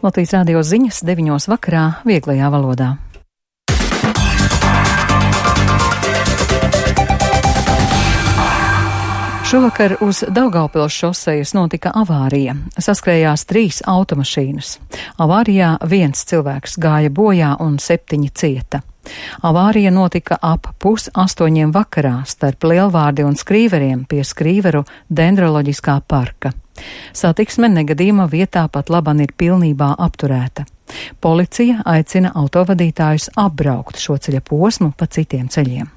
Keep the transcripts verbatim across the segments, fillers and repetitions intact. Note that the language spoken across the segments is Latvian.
Latvijas radio ziņas deviņos vakarā vieglajā valodā. Šovakar uz Daugavpils šosejas notika avārija. Saskrējās trīs automašīnas. Avārijā viens cilvēks gāja bojā un septiņi cieta. Avārija notika ap pus astoņiem vakarā starp Lielvārdi un Skrīveriem pie Skrīveru dendroloģiskā parka. Satiksme negadījuma vietā pat laban ir pilnībā apturēta. Policija aicina autovadītājus apbraukt šo ceļa posmu pa citiem ceļiem.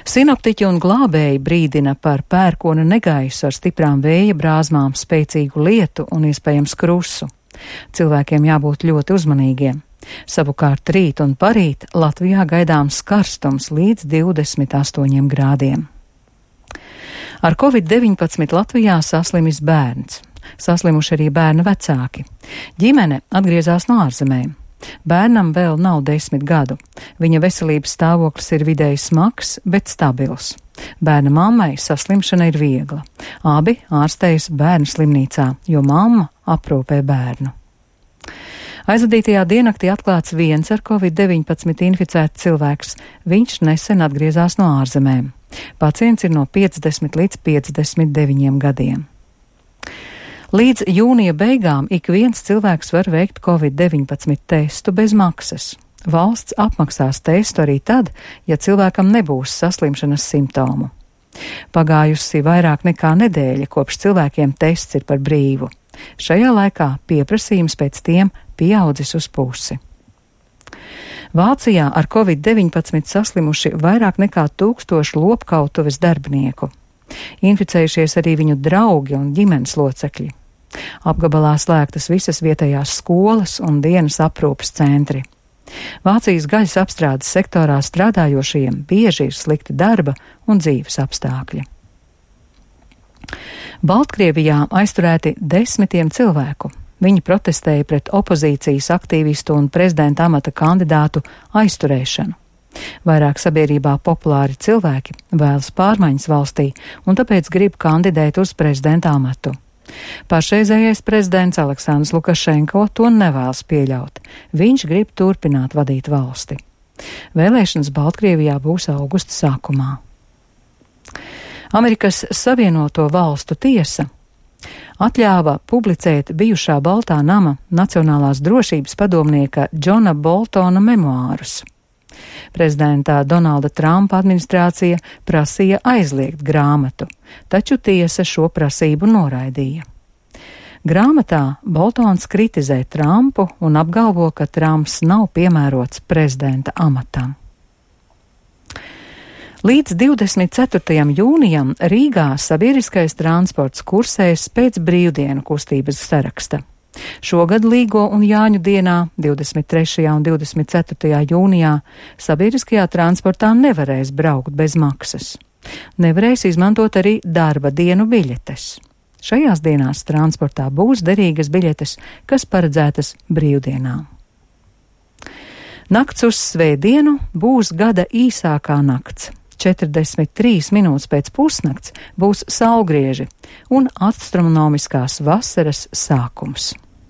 Sinoptiķi un glābēji brīdina par pērkona negaisu ar stiprām vēja brāzmām, spēcīgu lietu un iespējams krusu. Cilvēkiem jābūt ļoti uzmanīgiem. Savukārt rīt un parīt Latvijā gaidāms karstums līdz divdesmit astoņiem grādiem. Ar covid deviņpadsmit Latvijā saslimis bērns. Saslimuši arī bērna vecāki. Ģimene atgriezās no ārzemēm. Bērnam vēl nav desmit gadu. Viņa veselības stāvoklis ir vidēji smags, bet stabils. Bērna mammai saslimšana ir viegla. Abi ārstējas bērnu slimnīcā, jo mamma aprūpē bērnu. Aizvadītajā diennaktī atklāts viens ar covid deviņpadsmit inficēts cilvēks. Viņš nesen atgriezās no ārzemēm. Pacients ir no piecdesmit līdz piecdesmit deviņiem gadiem. Līdz jūnija beigām ik viens cilvēks var veikt covid deviņpadsmit testu bez maksas. Valsts apmaksās testu arī tad, ja cilvēkam nebūs saslimšanas simptomu. Pagājusi vairāk nekā nedēļa, kopš cilvēkiem tests ir par brīvu. Šajā laikā pieprasījums pēc tiem pieaudzis uz pusi. Vācijā ar covid deviņpadsmit saslimuši vairāk nekā tūkstoši lopkautuves darbinieku. Inficējušies arī viņu draugi un ģimenes locekļi. Apgabalā slēgtas visas vietējās skolas un dienas aprūpes centri. Vācijas gaļas apstrādes sektorā strādājošajiem bieži ir slikti darba un dzīves apstākļi. Baltkrievijā aizturēti desmitiem cilvēku. Viņi protestēja pret opozīcijas aktīvistu un prezidenta amata kandidātu aizturēšanu. Vairāk sabiedrībā populāri cilvēki vēlas pārmaiņas valstī un tāpēc grib kandidēt uz prezidenta amatu. Pašreizējais prezidents Aleksandrs Lukašenko to nevēlas pieļaut. Viņš grib turpināt vadīt valsti. Vēlēšanas Baltkrievijā būs augusta sākumā. Amerikas Savienoto Valstu tiesa atļāva publicēt bijušā Baltā nama Nacionālās drošības padomnieka Džona Boltona memoārus. Prezidenta Donalda Trumpa administrācija prasīja aizliegt grāmatu, taču tiesa šo prasību noraidīja. Grāmatā Boltons kritizē Trumpu un apgalvo, ka Trumps nav piemērots prezidenta amatam. Līdz divdesmit ceturtajam jūnijam Rīgā sabiedriskais transports kursēs pēc brīvdienu kustības saraksta. Šogad Līgo un Jāņu dienā, divdesmit trešajā un divdesmit ceturtajā jūnijā, sabiedriskajā transportā nevarēs braukt bez maksas. Nevarēs izmantot arī darba dienu biļetes. Šajās dienās transportā būs derīgas biļetes, kas paredzētas brīvdienām. Nakts uz svētdienu būs gada īsākā nakts. četrdesmit trīs minūtes pēc pusnakts būs saulgrieži un astronomiskās vasaras sākums.